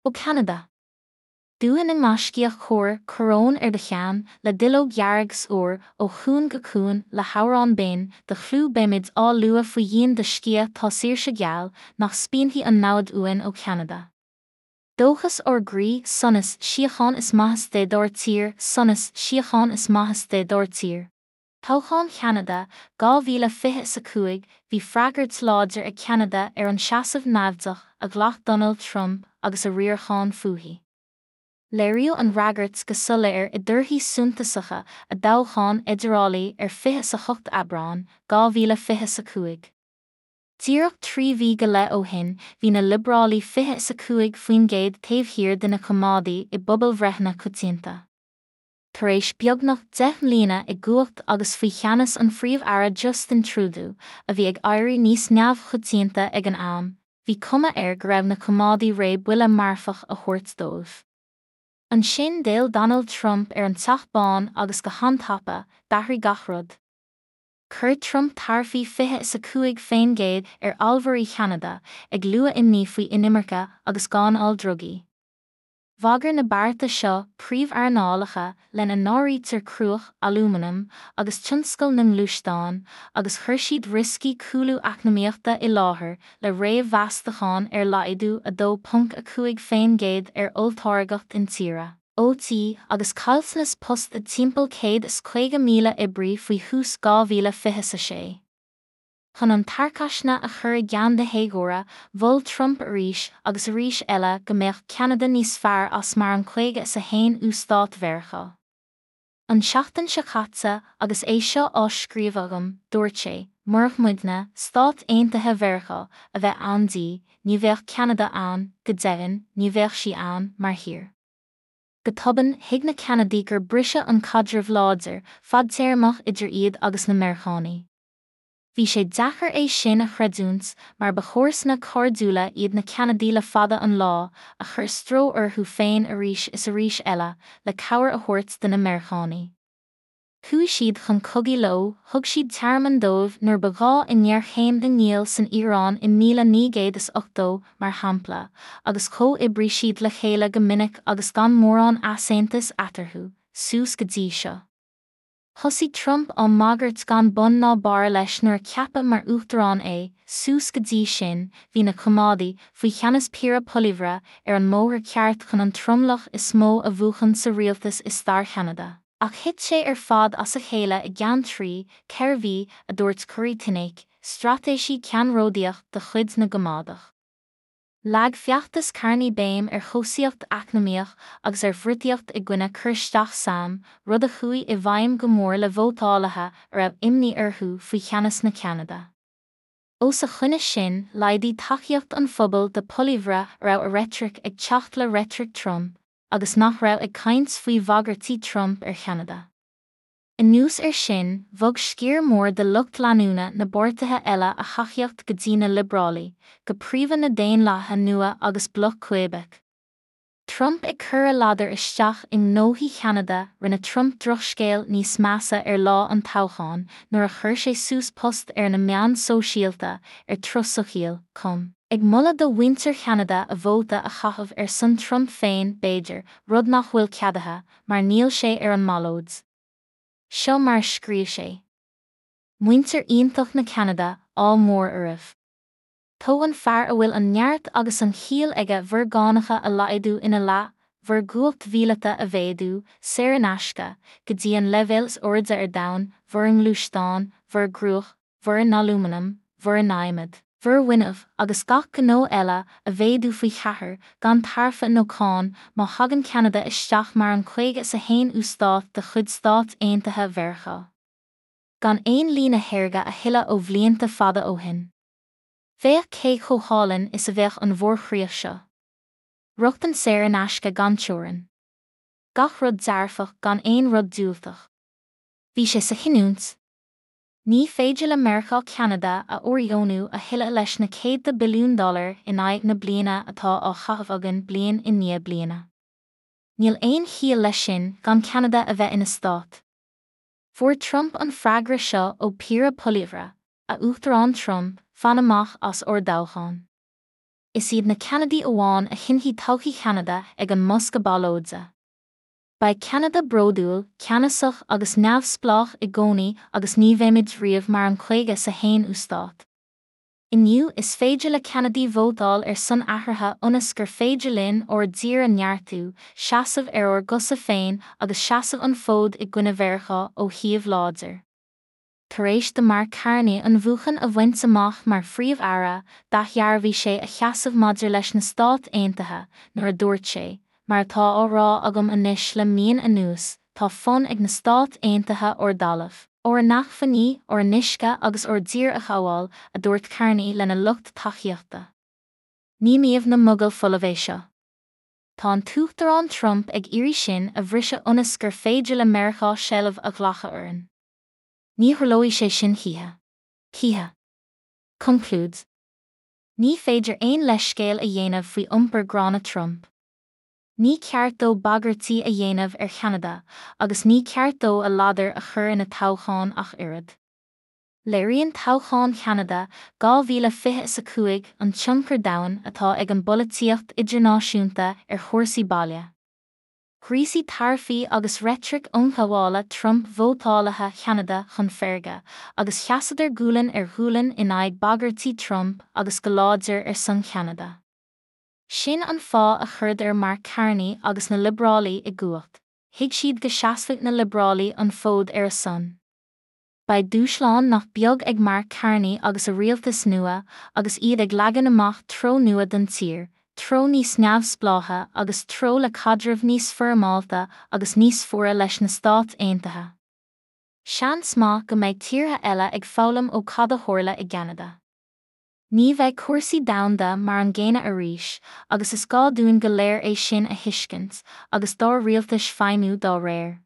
Ó Cheanada. Dúiche na ngaiscíoch cóir, coróin ar do cheann, le duilleog dhearg 's úr, ó chuan go cuan, le hamhrán binn, do chlú beimid á lua faoi dhíon do sciath tá saoirse geal, nach spíonfaidh an namhaid uainn ó Cheanada. Dóchas ár gcroí, sonas, síocháin is maitheas Dé dár tír, sonas, síocháin is maitheas Dé dár tír. Toghchán Cheanada 2025, Bhí freagairt láidir ag Ceanada ar an seasamh naimhdeach a ghlac Donald Trump agus a riarachán fúithi. Léiríodh an fhreagairt go soiléir i dtorthaí suntasacha a dtoghcháin fheidearálaigh ar 28 Aibreán, 2025. Díreach 3 mhí go leith ó shin, bhí na Liobrálaigh 25% taobh thiar de na Coimeádaigh i bpobalbhreitheanna coitianta. Tar éis beagnach 10 mbliana i gcumhacht agus faoi cheannas an Phríomh-Aire Justin Trudeau, a bhí ag éirí níos neamhchoitianta ag an am, bhí cuma air go raibh na Coimeádaigh réidh buille marfach a thabhairt dóibh. Ansin d'fhill Donald Trump ar an Teach Bán agus go han-tapa, d'athraigh gach rud. Chuir Trump taraifí 25% ar allmhairí Cheanada, ag lua imní faoi inimirce agus gáinneáil drugaí. Bhagair na bearta seo príomhearnálacha lena n-áirítear cruach, alúmanam agus tionscal na ngluaisteán, agus chuir siad rioscaí cúlú eacnamaíochta i láthair le réamh-mheastacháin ar laghdú 2.5% ar olltáirgeacht intíre, OT, agus caillteanas post de timpeall 150,000 oibrí faoi thús 2026. Chun an tarcaisne a chur i gceann na héagóra, mhol Trump arís agus arís eile go mbeadh Ceanada níos fearr as mar an 51ú stát Mheiriceá. An tseachtain seo caite, agus é seo á scríobh agam, dúirt sé, murach muidne, Stáit Aontaithe Mheiriceá, a bheith ann di, ní bheadh Ceanada ann, go deimhin, ní bheadh sí ann, mar thír. Go tobann, thuig na Ceanadaigh gur briseadh an caidreamh láidir, fadtéarmach idir iad agus na Meiriceánaigh. Bhí sé deacair é sin a chreidiúint mar ba chomharsana cairdiúla iad na Ceanadaigh le fada an lá, a chuir stró orthu féin arís is arís eile le cabhair a thabhairt do na Meiriceánaigh. Chuaigh siad chun cogaidh leo, thug siad tearmann dóibh nuair ba ghá i ngéarchéim na ngiall san Iaráin i 1980, mar shampla, agus chomhoibrigh siad le chéile go minic agus gan mórán easaontais eatarthu, suas go dtí seo. Thosaigh Trump á mbagairt gan bun ná barr leis nuair a ceapadh mar uachtarán é, suas go dtí sin, bhí na Coimeádaigh, faoi cheannas Pierre Poilievre, ar an mbóthar ceart chun an tromlach is mó a bhuachan sa rialtas i stair Cheanada. Ach thit sé ar fad as a chéile i gceann trí, 4 mhí, a dúirt Kory Teneycke, straitéisí ceannródaíoch de chuid na gCoimeádach. Leag feachtas Carney béim ar chobhsaíocht eacnamaíoch agus ar fhriotaíocht i gcoinne cur isteach sam, rud a chuaigh i bhfeidhm go mór le vótálaithe a raibh imní orthu faoi cheannas na Ceanada. Os a choinne sin, laghdaigh tacaíocht an phobail do Poilievre a raibh a reitric ag teacht le reitric Trump agus nach raibh ag caint faoi bhagairtí Trump ar Cheanada. Anuas air sin, bhog sciar mór de lucht leanúna na bpáirtithe eile a thacaíocht go dtí na Liobrálaigh, go príomha na Daonlathaithe Nua agus Bloc Québec. Trump ag cur a ladar isteach i ngnóthaí Cheanada Rinne Trump drochscéal níos measa ar lá an toghcháin nuair a chuir sé suas post ar na meáin sóisialta ar truthsocial. com, ag moladh do mhuintir Cheanada a vóta a chaitheamh ar son Trump féin, b'fhéidir, rud nach bhfuil ceadaithe, mar níl sé ar an mballóid. Seo mar a scríobh sé. Muintir iontach na Ceanada, ádh mór oraibh. Togh an fear a bhfuil an neart agus an chiall aige bhur gcánacha a laghdú ina leath, bhur gcumhacht mhíleata a mhéadú, saor in aisce, go dtí an leibhéal is airde ar domhan, bhur ngluaisteáin, bhur gcruach, bhur n-alúmanam, bhur n-adhmad, bhur bhfuinneamh agus gach gnó eile a mhéadú faoi cheathair, gan taraife nó cáin, má thagann Ceanada isteach mar an 51ú stát de chuid Stáit Aontaithe Mheiriceá. Gan aon líne shaorga a thuilleadh ó bhlianta fada ó shin. Féach cé chomh hálainn is a bheadh an mhórchríoch seo. Rochtain saor in aisce gan teorainn. Gach rud dearfach gan aon rud diúltach. Bhí sé sa chinniúint. Ní féidir le Meiriceá Ceanada a fhóirdheonú a thuilleadh leis na céadta billiún dollar in aghaidh na bliana atá á chaitheamh againn bliain i ndiaidh bliana. Níl aon chiall leis sin gan Ceanada a bheith ina stát. Fuair Trump an freagra seo ó Pierre Poilievre, A Uachtarán Trump, fan amach as ár dtoghchán. Is iad na Ceanadaigh amháin a chinnfidh todhchaí Cheanada ag an mbosca ballóide. Beidh Ceanada bródúil, ceannasach agus neamhspleách i gcónaí agus ní bheimid riamh mar an 51ú stát. Inniu, is féidir le Ceanadaigh vótáil ar son athraithe ionas gur féidir linn ár dtír a neartú, seasamh ar ár gcosa féin agus seasamh an fód i gcoinne Mheiriceá ó shuíomh láidir. Tar éis do Mark Carney an bhuachan a bhaint amach mar Phríomh-Aire, d'athdhearbhaigh sé a sheasamh maidir leis na Stáit Aontaithe nuair a dúirt sé, Mar atá á rá agam anois le míonna anuas, tá fonn ag na Stáit Aontaithe ár dtalamh, ár n-acmhainní, ár n-uisce agus ár dtír a ghabháil, a dúirt Carney lena lucht tacaíochta. Ní maíomh na mogall folamh é seo. Tá an tUachtarán Trump ag iarraidh sinn a bhriseadh ionas gur féidir le Meiriceá seilbh a ghlacadh orainn. Ní tharlóidh sé sin choíche. Choíche. Conclúid. Ní féidir aon leithscéal a dhéanamh faoi iompar gránna Trump. Ní ceart dó bagairtí a dhéanamh ar Cheanada agus ní ceart dó a ladar a chur ina toghchán ach oiread. Léiríonn toghchán Cheanada 2025 an tionchar domhain atá ag an bpolaitíocht idirnáisiúnta ar chúrsaí baile. Ghríosaigh taraifí agus reitric ionghabhála Trump vótálaithe Cheanada chun feirge, agus sheasadar gualainn ar ghualainn in aghaidh bagairtí Trump agus go láidir ar son Cheanada. Sin an fáth a chuireadar Mark Carney agus na Liobrálaigh i gcumhacht, thuig siad go seasfadh na Liobrálaigh an fód ar a son. Beidh dúshlán nach beag ag Mark Carney agus a rialtas nua agus iad ag leagan amach treo nua don tír, treo níos neamhspleáiche agus treo le caidreamh níos foirmeálta agus níos fuaire leis na Stáit Aontaithe. Seans maith go mbeidh tíortha eile ag foghlaim ó cad a tharla i gCeanada. Ní bheidh cúrsaí domhanda mar an gcéanna arís agus is gá dúinn go léir é sin a thuiscint agus dár rialtais feidhmiú dá réir.